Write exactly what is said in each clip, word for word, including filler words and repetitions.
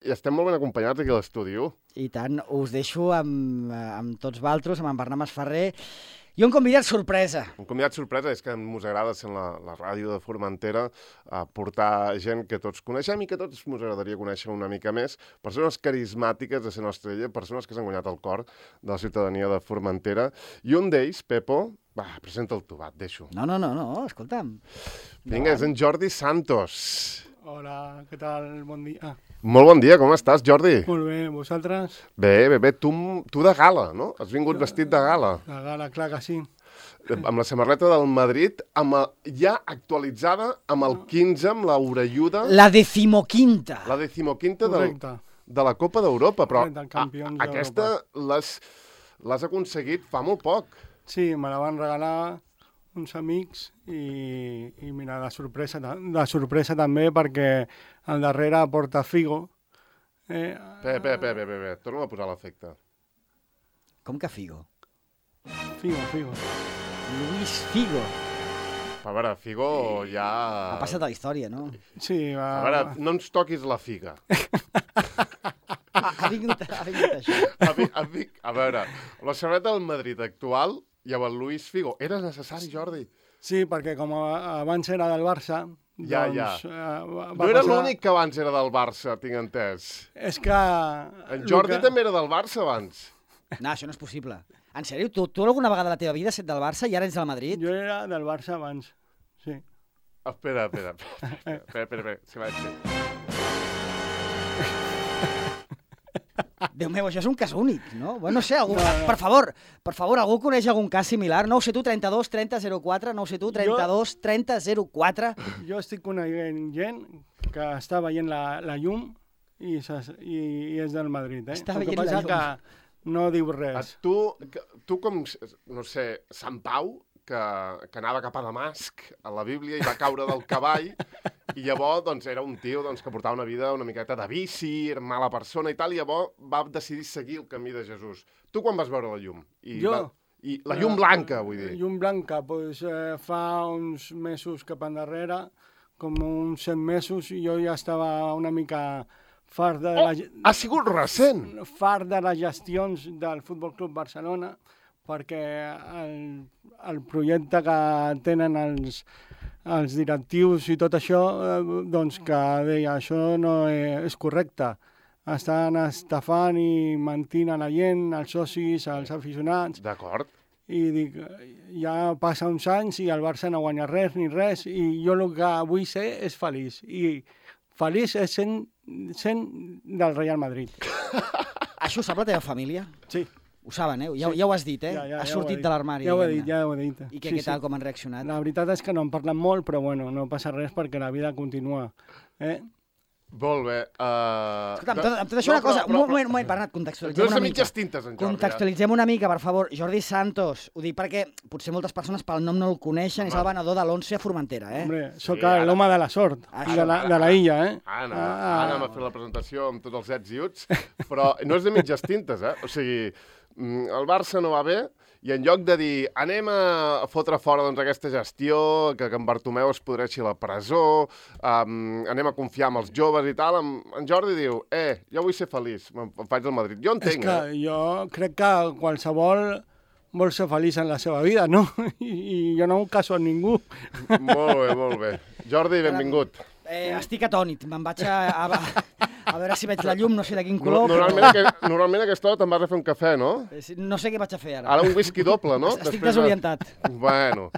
I estem molt ben acompanyats aquí a l'estudi. I tant, us deixo amb, amb tots vosaltres, amb en Bernat Masferrer, i un convidat sorpresa. Un convidat sorpresa és que ens agrada ser la, la ràdio de Formentera, a portar gent que tots coneixem i que tots ens agradaria conèixer una mica més, persones carismàtiques de ser nostra ella, persones que s'han guanyat el cor de la ciutadania de Formentera. I un d'ells, Pepo, va, presenta'l tu, va, et deixo. No, no, no, no, escolta'm. Vinga, és en Jordi Santos. Hola, què tal? Bon dia. Molt bon dia, com estàs, Jordi? Molt bé, vosaltres? Bé, bé, bé, tu, tu de gala, no? Has vingut vestit de gala. De gala, clar que sí. Amb la samarreta del Madrid, amb el, ja actualitzada amb el quinze, amb la orelluda... La decimoquinta. La decimoquinta del, de la Copa d'Europa, però a, aquesta l'has aconseguit fa molt poc. Sí, me la van regalar uns amics i, i mira, de sorpresa, de sorpresa també perquè al darrere porta Figo. Eh, bé, bé, bé, bé, bé, torna'm a posar l'efecte. Com que Figo? Figo, Figo. Luis Figo. A veure, Figo ja... Ha passat a la història, no? Sí, va... A veure, no ens toquis la figa. ha, ha, vingut, ha vingut això. A, a, a veure, la samarreta del Madrid actual i amb el Luis Figo. Era necessari, Jordi? Sí, perquè com abans era del Barça... Ja, doncs, ja. Uh, no era passar... l'únic que abans era del Barça, tinc entès. És que... En Jordi que... també era del Barça abans. No, això no és possible. En sèrio? Tu, tu alguna vegada a la teva vida has estat del Barça i ara ets del Madrid? Jo era del Barça abans, sí. Espera, espera, espera, espera, espera, espera, si vaig fer. Déu meu, això és un cas únic, no? Bueno, no sé, algú... no, no. Per favor, per favor, algú coneix algun cas similar? No ho sé tu, trenta-dos trenta zero quatre, no ho sé tu, trenta-dos trenta zero quatre. Jo estic coneixent gent que està veient la, la llum i, i, i és del Madrid, eh? Està veient la llum. Que no diu res. Tu, tu com, no sé, Sant Pau, que, que anava cap a Damasc, a la Bíblia, i va caure del cavall, i llavors doncs, era un tio doncs, que portava una vida una miqueta de vici, era mala persona i tal, i llavors va decidir seguir el camí de Jesús. Tu quan vas veure la llum? I jo? Va, I la llum blanca, vull dir. Llum blanca, doncs eh, fa uns mesos cap endarrere, com uns set mesos, i jo ja estava una mica fart de... Oh, la... ha sigut recent! Fart de les gestions del Futbol Club Barcelona, perquè el, el projecte que tenen els, els directius i tot això, eh, doncs que deia, això no és correcte. Estan estafant i mentint a la gent, als socis, als aficionats. D'acord. I dic, ja passa uns anys i el Barça no guanya res ni res, i jo el que vull ser és feliç. I feliç és sent, sent del Real Madrid. Això ho sap la teva família? Sí. Ho saben, eh? Ja, ja ho has dit, eh? Ja, ja, has ja sortit de l'armari. Ja ho he dit, ja ho he dit. I què, sí, què tal, sí. com han reaccionat? La veritat és que no en parlen molt, però bueno, no passa res perquè la vida continua. Eh? Molt bé. Uh... Escolta, amb tot, amb tot això no, una cosa... Però, però, un moment, un moment, Bernat, contextualitzem una mica. Tintes, en Jordi, contextualitzem una mica, per favor. Jordi Santos, ho dic perquè potser moltes persones pel nom no el coneixen, és el venedor de l'Once a Formentera, eh? Hombre, sóc sí, l'home de la sort, ah, de, la, de la illa, eh? Anna, ah, Anna m'ha fet la presentació amb tots els ets i uts, però no és de mitges tintes, eh? O sigui, el Barça no va bé, i en lloc de dir anem a fotre fora doncs, aquesta gestió, que, que en Bartomeu es podreixi a la presó, um, anem a confiar en els joves i tal, en, en Jordi diu, eh, jo vull ser feliç, em, em faig del Madrid. Jo entenc, És que eh? jo crec que qualsevol vol ser feliç en la seva vida, no? I, i jo no em caso amb ningú. Molt bé, molt bé. Jordi, benvingut. Eh, estic atònit, me'n vaig a, a, a veure si veig la llum, no sé de quin color. Normalment, però... aquest, normalment a aquesta hora te'n vas a fer un cafè, no? No sé què vaig a fer ara. Ara un whisky doble, no? Estic Després desorientat. De... Bueno,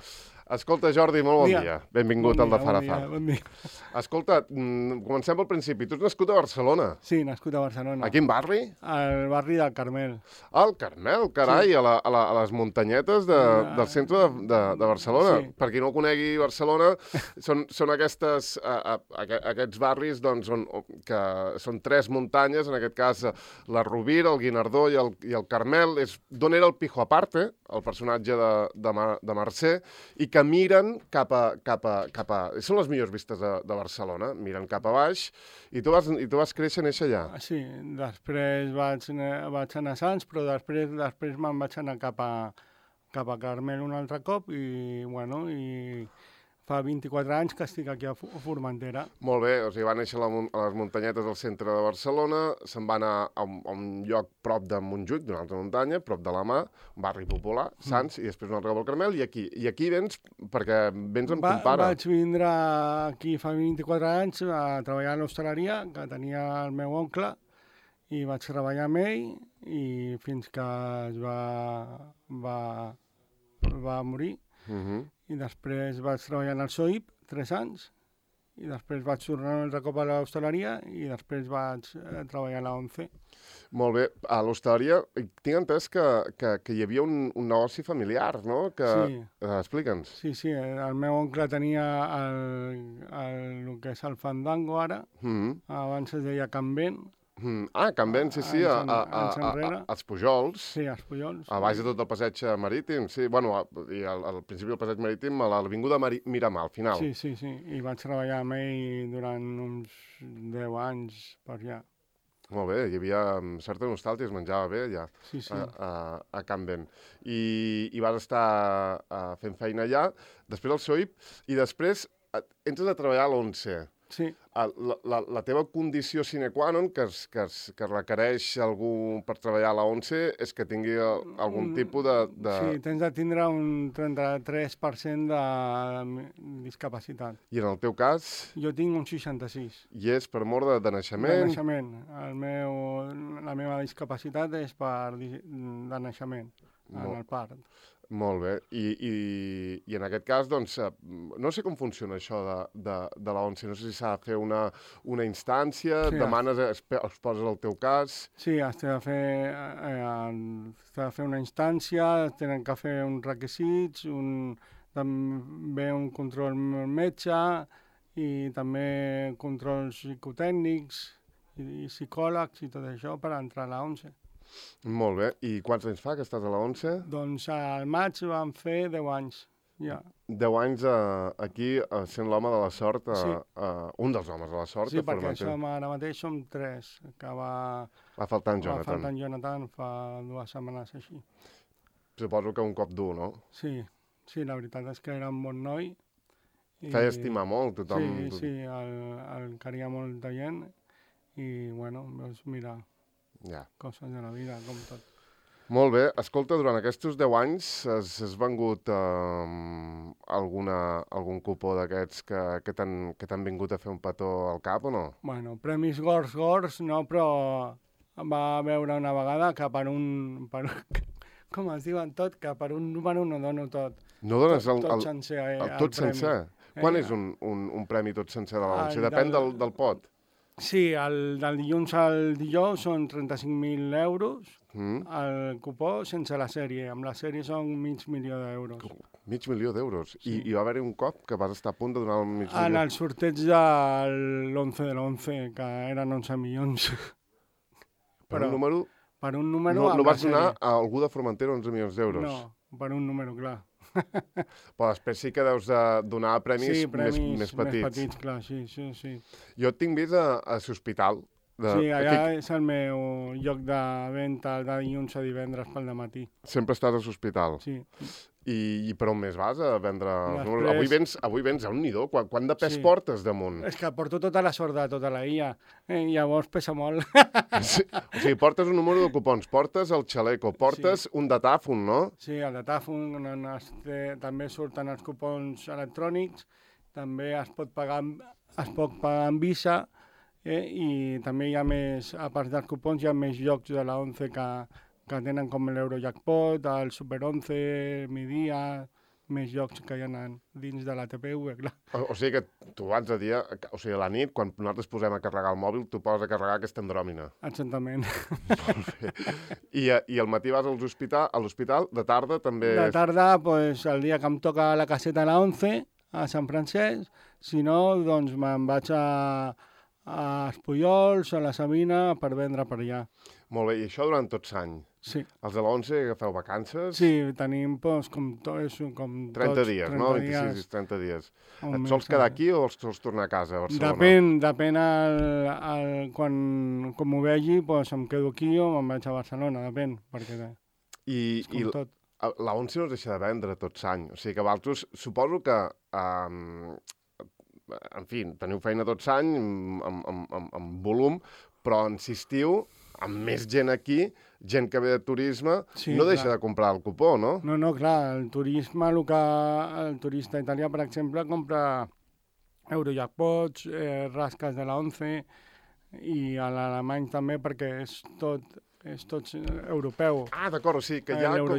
escolta, Jordi, molt bon dia. dia. Benvingut bon al de dia, Farafar. Bon dia, bon dia. Escolta, comencem pel principi. Tu ets nascut a Barcelona. Sí, nascut a Barcelona. A quin barri? Al barri del Carmel. Al Carmel, carai, sí. a, la, a, la, a les muntanyetes de, uh, del centre de, de, de Barcelona. Sí. Per qui no conegui Barcelona, són, són aquestes, a, a, aquests barris doncs, on, que són tres muntanyes, en aquest cas la Rovira, el Guinardó i el, i el Carmel, és d'on era el Pijo Aparte, el personatge de, de, Mar, de Mercè, i que miren cap a... Cap a, cap a són les millors vistes de, de Barcelona, miren cap a baix, i tu vas, i tu vas créixer i néixer allà. Sí, després vaig, vaig anar a Sants, però després, després me'n vaig anar cap a, cap a Carmel un altre cop, i, bueno, i fa vint-i-quatre anys que estic aquí a Formentera. Molt bé, o sigui, va néixer a, la, a les muntanyetes del centre de Barcelona, se'n va anar a un, a un lloc prop de Montjuïc, d'una altra muntanya, prop de la Mà, un barri popular, Sants, mm. i després un altre cop al Carmel, i aquí. I aquí vens perquè vens amb va, ton pare. Vaig vindre aquí fa vint-i-quatre anys a treballar a l'hostaleria, que tenia el meu oncle, i vaig treballar amb ell, i fins que es va, va, va morir. Uh-huh. I després vaig treballar al S O I P, tres anys, i després vaig tornar un altre cop a l'hostaleria i després vaig eh, treballar a la ONCE. Molt bé. A l'hostaleria tinc entès que, que, que hi havia un, un negoci familiar, no? Que... Sí. Uh, Explica'ns. Sí, sí. El meu oncle tenia el, el, el que és el Fandango ara, Mm-hmm. abans es deia Can Vent. Mm. Ah, Can Vent, sí, sí, a, a, a, a, a, als Pujols. Sí, als Pujols. A baix de tot el passeig marítim, sí. Bueno, a, i al, al principi del passeig marítim, a l'avinguda Miramar, al final. Sí, sí, sí. I vaig treballar amb ell durant uns deu anys per allà. Molt bé, hi havia certa nostàlgia, es menjava bé allà, sí, sí. a, a, a Can Vent. I, i vas estar a, fent feina allà, després al S O I P, i després entres a treballar a l'ONCE. Sí. La, la, la teva condició sine qua non que, es, que, es, que requereix algú per treballar a la ONCE és que tingui algun tipus de, de... Sí, tens de tindre un trenta-tres per cent de discapacitat. I en el teu cas? Jo tinc un seixanta-sis. I és per mort de, de naixement? De naixement. El meu, la meva discapacitat és per de naixement, en el part. Molt bé. I, i, i en aquest cas, doncs, no sé com funciona això de, de, de la ONCE. No sé si s'ha de fer una, una instància, sí, demanes, es, es poses el teu cas... Sí, has de fer, eh, has de fer una instància, tenen que fer uns requisits, un, també un control metge i també controls psicotècnics i, i psicòlegs i tot això per entrar a la ONCE. Molt bé. I quants anys fa que estàs a la ONCE? Doncs al maig vam fer deu anys, ja. deu anys uh, aquí uh, sent l'home de la sort, uh, sí. uh, un dels homes de la sort. Sí, perquè som, ara mateix som tres, que va... Va faltar en Jonathan. Va faltar en Jonathan fa dues setmanes així. Suposo que un cop dur, no? Sí, sí, la veritat és que era un bon noi. I... Feia estimar molt tothom. Sí, sí, el, el caria molta gent i, bueno, doncs mira... Ja. Coses de la vida, com tot. Molt bé. Escolta, durant aquests deu anys has, has vengut eh, alguna, algun cupó d'aquests que, que t'han vingut a fer un petó al cap o no? Bueno, premis gors, gors, no, però va veure una vegada que per un... Per, com es diuen tot, que per un número no dono tot. No dones tot, el, tot el, sencer, eh, el, el tot premi. sencer? Eh? Quan és un, un, un premi tot sencer de la ONCE? Depèn del, del pot. Sí, el, del dilluns al dijous són trenta-cinc mil euros, mm. el cupó sense la sèrie. Amb la sèrie són mig milió d'euros. Mig milió d'euros? Sí. I, I va haver-hi un cop que vas estar a punt de donar el mig milió? En el sorteig de l'onze de l'onze, que eren onze milions. Per Però, un número... Per un número... No, no vas donar a algú de Formentera onze milions d'euros? No, per un número, clar. Però després sí que deus de donar premis, sí, premis més, més petits. més petits, clar, sí, sí, sí. Jo et tinc vist a, a l'hospital. De... Sí, allà Aquí... és el meu lloc de venda de dilluns a divendres pel dematí. Sempre estàs a l'hospital? Sí. I, I per on més vas a vendre els Després... números? Avui vens, avui vens a un nidó. Quant, quant de pes sí. portes damunt? És que porto tota la sort de tota la illa. Eh, llavors pesa molt. Sí. O sigui, portes un número de cupons, portes el xaleco, portes sí. un datàfon, no? Sí, el datàfon, on es té, també surten els cupons electrònics, també es pot pagar, es pot pagar amb Visa, eh, i també hi ha més, a part dels cupons, hi ha més llocs de la ONCE que, que tenen com l'Eurojackpot, el Super onze, Mi Dia, més llocs que hi ha dins de la T P V, clar. O, o sigui que tu abans de dia, o sigui, a la nit, quan nosaltres posem a carregar el mòbil, tu poses a carregar aquesta andròmina. Exactament. I, I al matí vas a l'hospital, a l'hospital, de tarda també... De tarda, pues, el dia que em toca la caseta a la ONCE, a Sant Francesc, si no, doncs me'n vaig a, a Espollols, a la Sabina, per vendre per allà. Molt bé, i això durant tots l'any? Sí. Els de l'onze agafeu vacances? Sí, tenim doncs, com, to, com trenta tots. dies, trenta no? dies. vint-i-sis i trenta dies. Et sols quedar aquí o els sols tornar a casa, a Barcelona? Depèn, depèn el, el, quan, com m'ho vegi, doncs em quedo aquí o me'n vaig a Barcelona, depèn, perquè I, és com i tot. La ONCE no es deixa de vendre tot l'any, o sigui que vosaltres, suposo que um, en fi, teniu feina tots l'any, amb, amb, amb, amb volum, però en estiu, amb més gent aquí, gent que ve de turisme, sí, no deixa clar. de comprar el cupó, no? No, no, clar, el turisme, el, que, el turista italià, per exemple, compra Eurojackpots, eh, rasques de la ONCE, i a l'alemany també, perquè és tot... és tot europeu. Ah, d'acord, o sigui que hi ha, com,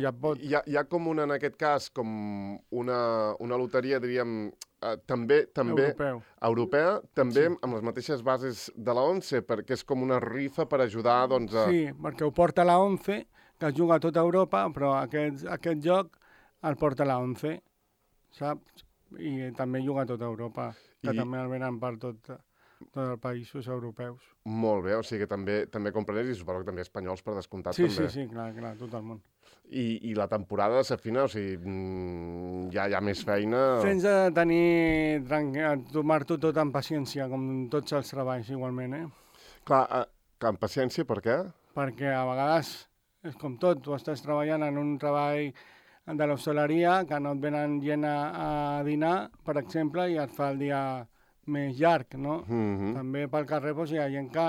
hi, ha, hi ha com una, en aquest cas, com una, una loteria, diríem, eh, també, també europeu. europea, també sí. amb les mateixes bases de la ONCE, perquè és com una rifa per ajudar, doncs... A... Sí, perquè ho porta la ONCE, que es juga a tota Europa, però aquest, aquest joc el porta la ONCE, saps? I també juga a tota Europa, que I... també el venen per tot... dels països europeus. Molt bé, o sigui que també també compren i suposo que també espanyols per descomptat sí, també. Sí, sí, clar, clar, tot el món. I, i la temporada s'afina, o sigui, ja hi ha més feina... Tens de tenir, tomar-t'ho tot amb paciència, com tots els treballs igualment, eh? Clar, eh, amb paciència per què? Perquè a vegades és com tot, tu estàs treballant en un treball de l'hostaleria que no et venen gent a, a dinar, per exemple, i et fa el dia... més llarg, no? Mm-hmm. També pel carrer doncs, hi ha gent que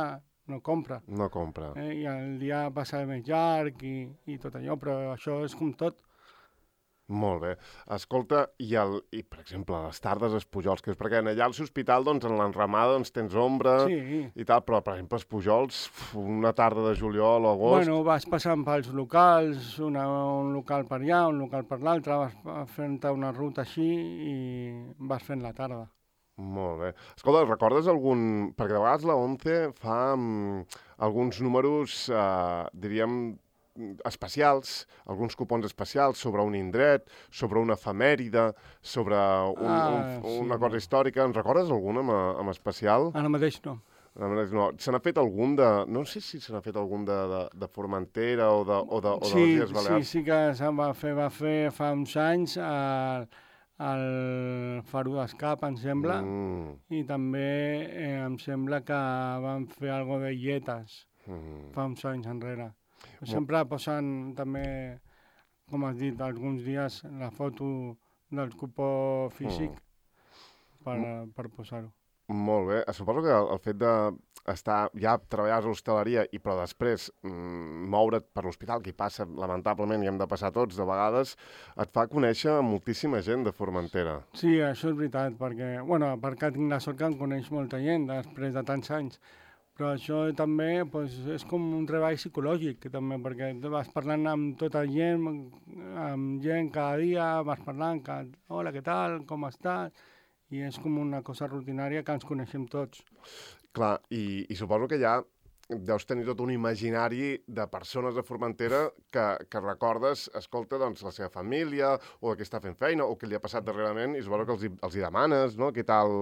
no compra. No compra. Eh? I el dia passa més llarg i, i tot allò, però això és com tot. Molt bé. Escolta, i, el, i per exemple, les tardes als Pujols, que és perquè allà al l'hospital, doncs, en l'enramada, doncs, tens ombra sí. i tal, però, per exemple, els Pujols, una tarda de juliol o agost... Bueno, vas passant pels locals, una, un local per allà, un local per l'altre, vas fent una ruta així i vas fent la tarda. Molt bé. Escolta, recordes algun... Perquè de vegades la ONCE fa um, alguns números, uh, diríem, especials, alguns cupons especials sobre un indret, sobre una efemèride, sobre un, ah, un, sí. una cosa històrica. En recordes algun en, en especial? Ara mateix no. No. Se n'ha fet algun de... No sé si se n'ha fet algun de, de, de Formentera o de, o de, o sí, de les Illes Balears. Sí, sí que se'n va fer, va fer fa uns anys al, al Faro d'Escap, em sembla, mm. i també eh, em sembla que van fer algo de Illetes mm. fa uns anys enrere. Sempre posen també, com has dit, alguns dies la foto del cupó físic mm. per, per posar-ho. Molt bé. Suposo que el, el fet d'estar ja treballar a l'hostaleria i però després mm, moure't per l'hospital, que hi passa, lamentablement, i hem de passar tots de vegades, et fa conèixer moltíssima gent de Formentera. Sí, això és veritat, perquè, bueno, perquè tinc la sort que em coneix molta gent després de tants anys. Però això també pues, és com un treball psicològic, que també, perquè vas parlant amb tota gent, amb gent cada dia, vas parlant, que, hola, què tal, com estàs? I és com una cosa rutinària que ens coneixem tots. Clar, i, i suposo que ja deus tenir tot un imaginari de persones de Formentera que, que recordes, escolta, doncs, la seva família, o que està fent feina, o que li ha passat darrerament, i suposo que els hi, els hi demanes, no? Què tal,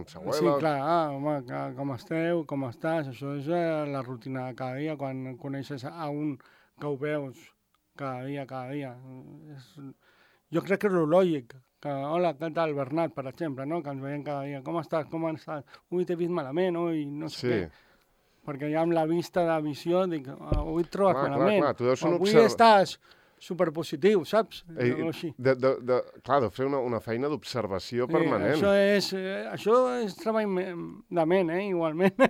s'abuela? Sí, clar, ah, home, com esteu, com estàs? Això és eh, la rutina de cada dia, quan coneixes a un que ho veus cada dia, cada dia. És... Jo crec que és lo lògic, que, hola, què tal, Bernat, per exemple, no? Que ens veiem cada dia, com estàs, com estàs? Ui, t'he vist malament, ui, no sé sí. què. Perquè ja amb la vista de visió dic, avui et trobes clar, malament, clar, clar. Tu avui observ... estàs superpositiu, saps? Ei, de, de, de, clar, de fer una, una feina d'observació eh, permanent. Això és, eh, això és treball de ment, eh, igualment.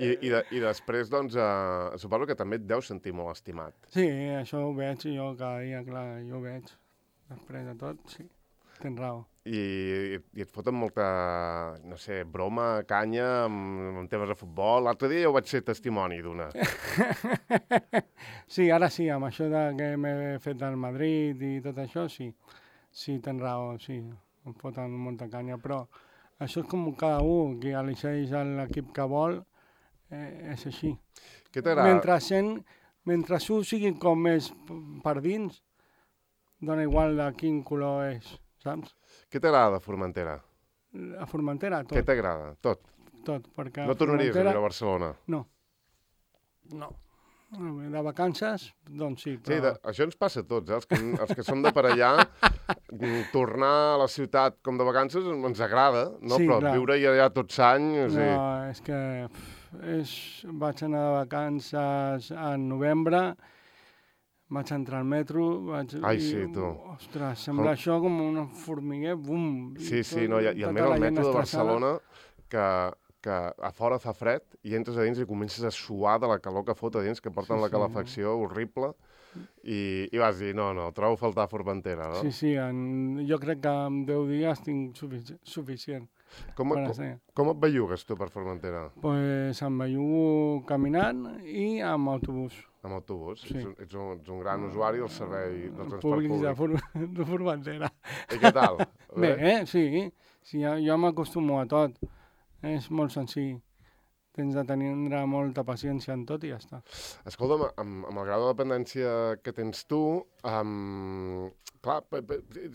I, i, de, I després, doncs, eh, suposo que també et deus sentir molt estimat. Sí, això ho veig jo cada dia, clar, jo ho veig. Després de tot, sí, tens raó. I, i et foten molta, no sé, broma, canya, amb, amb temes de futbol. L'altre dia jo vaig ser testimoni d'una. Sí, ara sí, amb això de que m'he fet al Madrid i tot això, sí. Sí, tens raó, sí, em foten molta canya, però això és com cada un, que elegeix l'equip que vol, eh, és així. Què t'agrada? Mentre, sent, mentre ho sigui com més per dins, dona igual de quin color és, saps? Què t'agrada de Formentera? A Formentera, tot. Què t'agrada? Tot? Tot, perquè... No tornaries Formentera... a viure a Barcelona? No. No. De vacances, doncs sí, però... Sí, de, això ens passa a tots, eh? Els que, els que som de per allà, tornar a la ciutat com de vacances ens agrada, no? Sí, però clar. Viure-hi allà tots anys... No, sí. És que pff, és... vaig anar de vacances en novembre, vaig entrar al metro, vaig... Ai, i, sí, tu. Ostres, sembla com... això com un formiguer, bum! Sí, sí, no, i, i a més el metro de Barcelona, que, que a fora fa fred, i entres a dins i comences a suar de la calor que fot a dins, que porten sí, la calefacció sí. horrible, i, i vas dir, no, no, trobo a faltar Formentera, no? Sí, sí, en, jo crec que en deu dies tinc sufici suficient. Com, com, com et bellugues tu per Formentera? Pues em bellugo caminant i amb autobús. Amb autobús? Sí. Ets, ets, un, ets un gran usuari del servei del transport públic. Públic de, For de Formentera. I què tal? Bé, eh? sí, sí, jo, jo m'acostumo a tot. És molt senzill. Tens de tenir molta paciència en tot i ja està. Escolta'm, amb, amb el grau de dependència que tens tu, um, clar,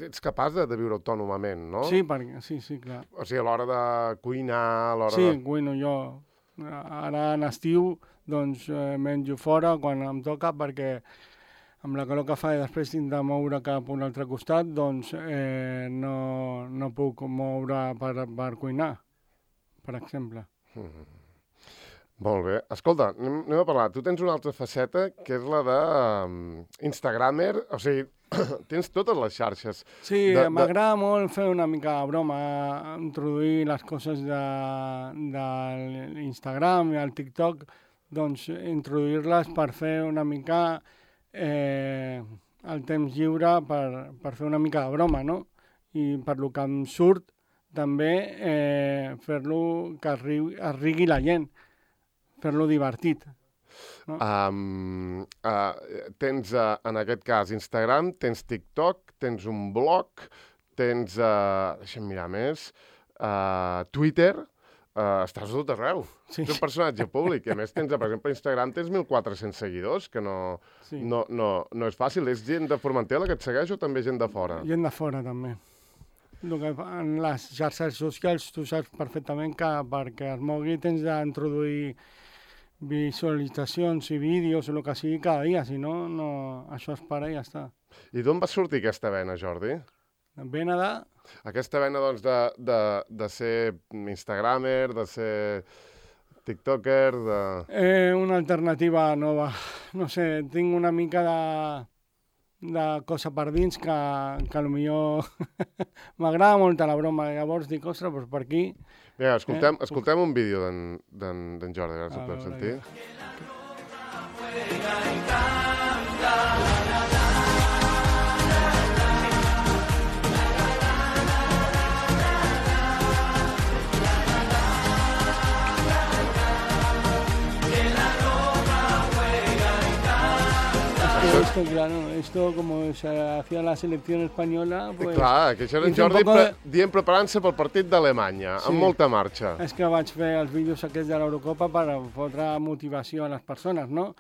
ets capaç de, de viure autònomament, no? Sí, perquè, sí, sí, clar. O sigui, a l'hora de cuinar, a l'hora sí, de... Sí, cuino jo. Ara en estiu, doncs, eh, menjo fora quan em toca, perquè amb la calor que fa i després tinc de moure cap a un altre costat, doncs eh, no, no puc moure per, per cuinar, per exemple. Mm-hmm. Molt bé. Escolta, anem, anem a parlar. Tu tens una altra faceta, que és la de um, Instagramer. O sigui, tens totes les xarxes. Sí, de, m'agrada de... molt fer una mica de broma, introduir les coses de, de l'Instagram i el TikTok, doncs introduir-les per fer una mica eh, el temps lliure per, per fer una mica de broma, no? I per lo que em surt, també eh, fer-lo que arribi, arribi la gent. Fer-lo divertit. No? Um, uh, tens, uh, en aquest cas, Instagram, tens TikTok, tens un blog, tens, uh, deixa'm mirar més, uh, Twitter, uh, estàs a tot arreu. Sí. Ets un personatge públic. I a més, tens, per exemple, a Instagram tens mil quatre-cents seguidors, que no, sí. no, no, no és fàcil. És gent de Formentera la que et segueix o també gent de fora? Gent de fora, també. El que en les xarxes socials tu saps perfectament que perquè es mogui tens d'introduir visualitzacions i vídeos o el que sigui cada dia, si no, no, això es para i ja està. I d'on va sortir aquesta vena, Jordi? Vena de... Aquesta vena, doncs, de, de, de ser instagramer, de ser tiktoker, de... Eh, una alternativa nova. No sé, tinc una mica de... de cosa per dins que, que potser m'agrada molt la broma. Llavors dic, ostres, doncs per aquí... Vinga, escoltem, eh? escoltem un vídeo d'en Jordi, ara si ho podem sentir. Esto, claro, esto como se hacía la selección española... Pues, clar, que això era en Jordi de... pre dient preparant-se pel partit d'Alemanya, sí. amb molta marxa. És que vaig fer els vídeos aquests de l'Eurocopa per fotre motivació a les persones, no?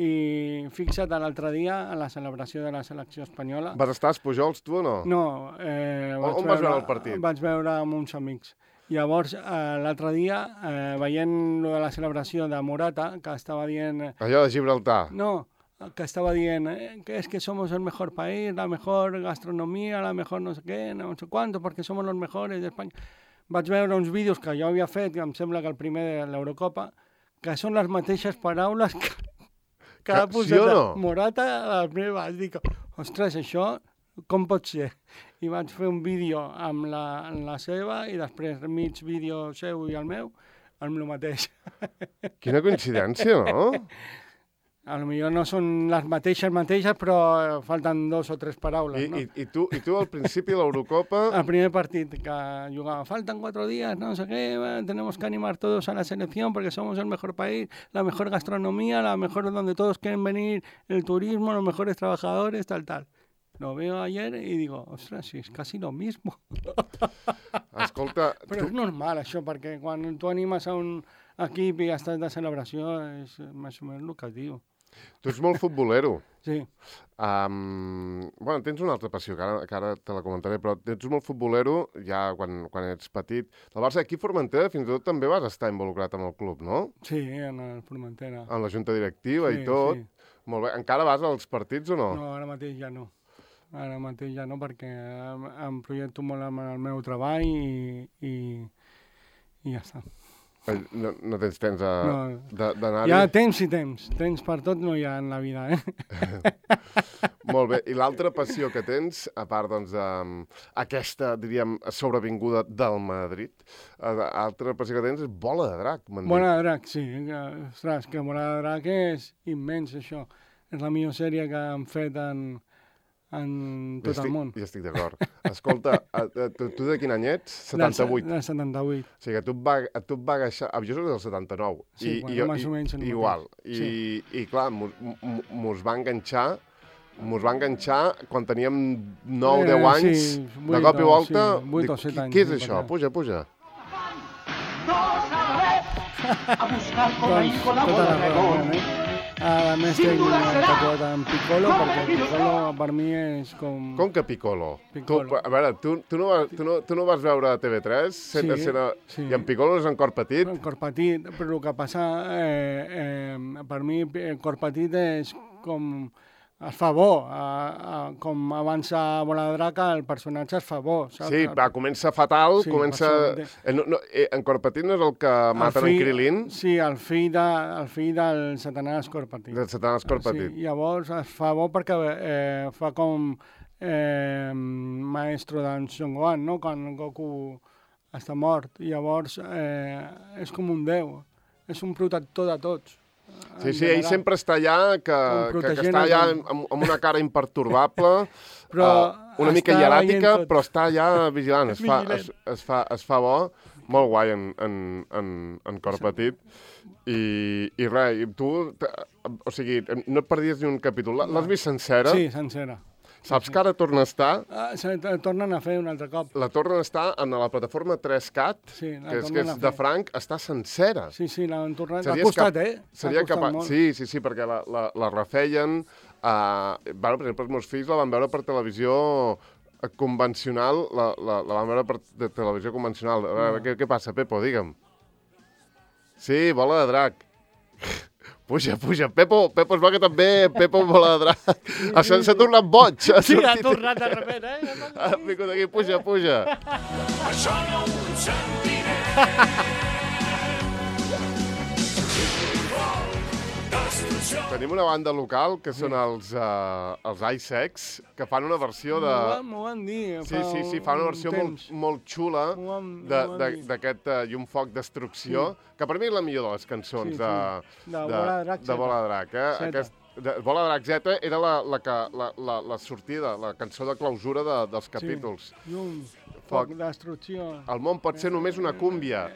I fixa't, l'altre dia, a la celebració de la selecció espanyola... Vas estar als Pujols, tu, o no? No. Eh, on on veure, vas veure el partit? Vaig veure amb uns amics. Llavors, eh, l'altre dia, eh, veient lo de la celebració de Morata, que estava dient... Allò de Gibraltar? No, que estaba diciendo eh, que es que somos el mejor país, la mejor gastronomía, la mejor no sé què, no sé cuánto, perquè som els mejores d'Espanya. Vaig veure uns vídeos que jo havia fet, que em sembla que el primer de l'Eurocopa, que són les mateixes paraules que, que ha posat sí no? Morata al primer. Vaig dir, ostres, això com pot ser? I vaig fer un vídeo amb la, amb la seva i després mig vídeo seu i el meu, amb el mateix. Quina coincidència, no? A lo millor no són les mateixes mateixes, però falten dos o tres paraules, I, no? I, i, tu, I tu al principi de l'Eurocopa... El primer partit que jugava, faltan cuatro días, no sé qué, tenemos que animar todos a la selección porque somos el mejor país, la mejor gastronomía, la mejor donde todos quieren venir, el turismo, los mejores trabajadores, tal, tal. Lo veo ayer y digo, ostras, si es casi lo mismo. Escolta... Però tu... és normal, això, perquè quan tu animes a un equip i estàs de celebració, és més o menys el que diu. Tu ets molt futbolero. Sí. Um, bueno, tens una altra passió, que ara, que ara te la comentaré, però ets molt futbolero ja quan, quan ets petit. El Barça aquí a Formentera fins i tot també vas estar involucrat amb el club, no? Sí, en el Formentera. En la junta directiva sí, i tot. Sí. Molt bé. Encara vas als partits o no? No, ara mateix ja no. Ara mateix ja no, perquè em projecto molt amb el meu treball i, i, i ja està. No, no tens temps d'anar-hi? Hi ha temps i temps. Temps per tot no hi ha en la vida, eh? Molt bé. I l'altra passió que tens, a part doncs, d'aquesta, diríem, sobrevinguda del Madrid, l'altra passió que tens és bola de drac, m'han dit. Bola de drac, sí. Ostres, que bola de drac és immens, això. És la millor sèrie que han fet en, en tot estic, el món. Ja estic d'acord. Escolta, tu, tu de quin any ets? setanta-vuit. De setanta-vuit. O sigui que tu et va, tu et va agafar... Jo soc del setanta-nou. Sí, I, bueno, i, més o menys. Igual. I, sí. I clar, mos va enganxar... Mos va enganxar quan teníem nou deu eh, anys, sí, vuit, de cop i volta... Sí, vuit o set anys. Què és això? Puja, puja. A buscar cocaïna con la bola de gol. A més tinc tatuat en Piccolo, perquè Piccolo per mi és com... Com que Piccolo? Piccolo. Tu, a veure, tu, tu, no, tu, no, tu no vas veure T V tres? Sent, sí, sent, sí. I en Piccolo és en cor petit? En cor petit, però el que passa, eh, eh, per mi, el cor petit és com... Es fa bo, a, a, com avança Bola de Drac, el personatge es fa bo, saps? Sí, va, comença fatal, sí, comença... Eh, no, no, eh, en Cor Petit no és el que maten en Krilin? Sí, el fill, de, el fill del Satanàs Cor Petit. Del Satanàs Cor Petit. Sí, llavors es fa bo perquè eh, fa com eh, maestro d'en Son Gohan, no? Quan Goku està mort. I llavors eh, és com un déu, és un protector de tots. Sí, sí, ell sempre està allà, que, que, que està allà amb, amb una cara imperturbable, però uh, una mica hieràtica, però està allà vigilant, es fa, es, es, fa, es fa bo, molt guai en, en, en, en Cor Petit. I, i res, i tu, o sigui, no et perdies ni un capítol, l'has vist sencera? Sí, sencera. Saps que ara torna a estar? Ah, se tornen a fer un altre cop. La tornen a estar en la plataforma tres cat, sí, que és, que és de franc, està sencera. Sí, sí, l'han tornat. Ha costat, cap... eh? Seria capaç... Sí, sí, sí, perquè la, la, la refeien... Uh, bueno, per exemple, els meus fills la van veure per televisió convencional, la, la, la van veure per de televisió convencional. A veure, no. què, què passa, Pepo? Digue'm. Sí, Bola de Drac. Puja, puja. Pepo, Pepo es va que també, Pepo Bola de Drac. Això s'ha tornat boig. Ha sí, ha tornat de repent, eh? Ha vingut aquí, puja, puja. Això no ho sentiré. Tenim una banda local, que són els, uh, els Icex, que fan una versió de... M'ho van dir. Sí, sí, sí, fan una versió molt, molt xula d'aquest uh, Llum Foc Destrucció, sí. Que per mi és la millor de les cançons sí, sí. de, de, de, de Bola de Drac. Eh? Aquest, de, Bola de Drac Z era la, la, la, la, la sortida, la cançó de clausura de, dels capítols. Sí. Llum, foc, destrucció. El món pot ser només una cúmbia.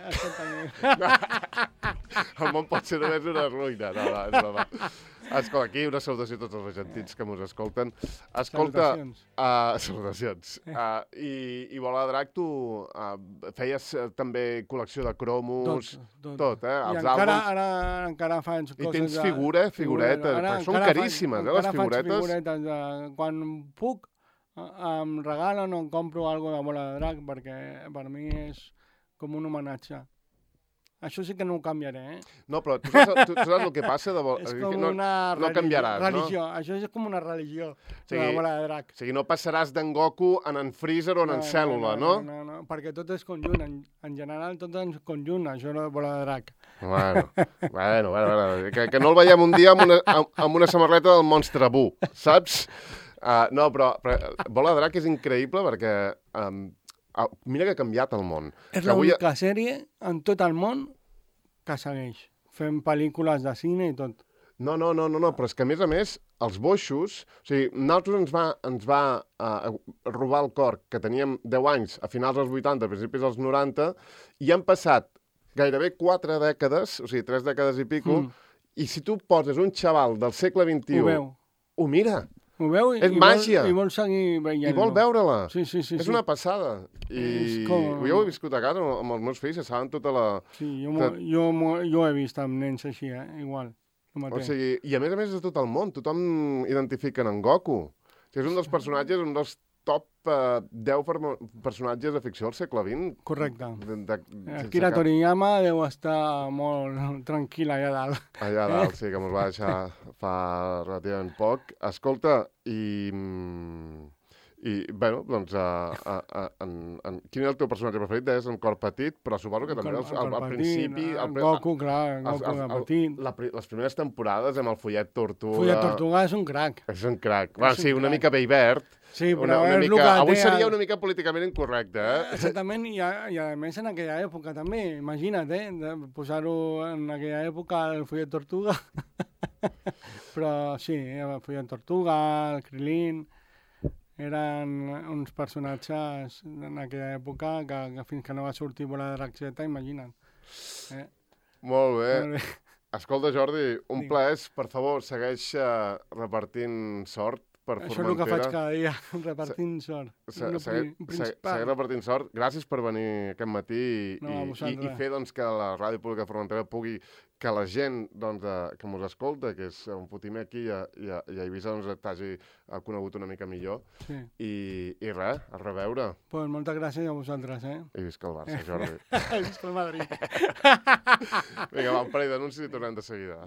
El món pot ser només una ruïna. No, no, és broma. Escolta, aquí una salutació a tots els argentins que ens escolten. Escolta, salutacions. Uh, salutacions. Uh, i, I Bola de Drac, tu uh, feies uh, també col·lecció de cromos, tot, tot, tot eh? Els I encara, àlbums. Ara, encara faig coses... I tens figura, de... figuretes, ara, perquè són caríssimes, faig, eh, les figuretes. Encara faig figuretes. De... Quan puc, em regalen o em compro alguna de Bola de Drac, perquè per mi és com un homenatge. Això sí que no ho canviaré, eh? No, però tu saps, tu, tu saps el que passa? De... És com no, una no canviaràs, religió. No? Això és com una religió, o sigui, la Bola de Drac. O sigui, no passaràs d'en Goku en en Freezer o en, no, en Cèl·lula, no? No, no, no, no, perquè tot és conjunt. En, en general tot és conjunt, això de Bola de Drac. Bueno, bueno, bueno, bueno. Que, que no el veiem un dia amb una, amb, amb una samarreta del Monstre Buu, saps? Uh, no, però, però Bola de Drac és increïble perquè... Um, mira que ha canviat el món. És l'única avui... sèrie en tot el món que segueix, fent pel·lícules de cine i tot. No, no, no, no, no, però és que a més a més, els boixos, o sigui, nosaltres ens va, ens va uh, robar el cor, que teníem deu anys, a finals dels vuitanta, a principis dels noranta, i han passat gairebé quatre dècades, o sigui, tres dècades i pico, mm. i si tu poses un xaval del segle vint-i-u, ho, veu. ho mira. Ho veu i, és i màgia. Vol, i vol seguir veient-lo. I vol veure-la. Sí, sí, sí. És sí. una passada. I com... jo ho he viscut a casa amb els meus fills, que saben tota la... Sí, jo, que... jo, jo he vist amb nens així, eh? Igual. O sigui, i a més a més de tot el món, tothom identifica en Goku. O sigui, és un dels personatges, un dels top uh, deu personatges de ficció del segle vint. Correcte. De, de, de, Akira Toriyama deu estar molt tranquil allà dalt. Allà dalt, sí, que ens va deixar fa relativament poc. Escolta, i, I, bueno, doncs, a, a, a, en, en, quin és el teu personatge preferit? Deies en Cor Petit, però suposo que també al, al, al principi... El Goku, clar, el Goku de Petit. La, les primeres temporades amb el Follet Tortuga... Follet Tortuga és un crac. És un crac. Bueno, sí, una mica Beibert. Sí, però una, una és mica... Avui té... seria una mica políticament incorrecte, eh? Exactament, i a, i a més en aquella època també, imagina't, eh? Posar-ho en aquella època el Follet Tortuga. Però sí, el Follet Tortuga, el Krilin... eren uns personatges en aquella època que, que fins que no va sortir Bola de Raxeta, imagina't. Eh? Molt bé. Molt bé. Escolta, Jordi, un Digue. plaer. Per favor, segueix uh, repartint sort per Això Formentera. és el que faig cada dia, repartint se sort. Se segueix segui repartint sort. Gràcies per venir aquest matí i, no, i, i fer doncs, que la Ràdio Pública de Formentera pugui, que la gent doncs, de, que ens escolta, que és un fotimer aquí i a, i a, i a Eivissa, doncs, t'hagi conegut una mica millor. Sí. I, i res, a reveure. Pues moltes gràcies a vosaltres, eh? I visca el Barça, Jordi. Visca el Madrid. Vinga, va, un parell d'anuncis i tornem de seguida.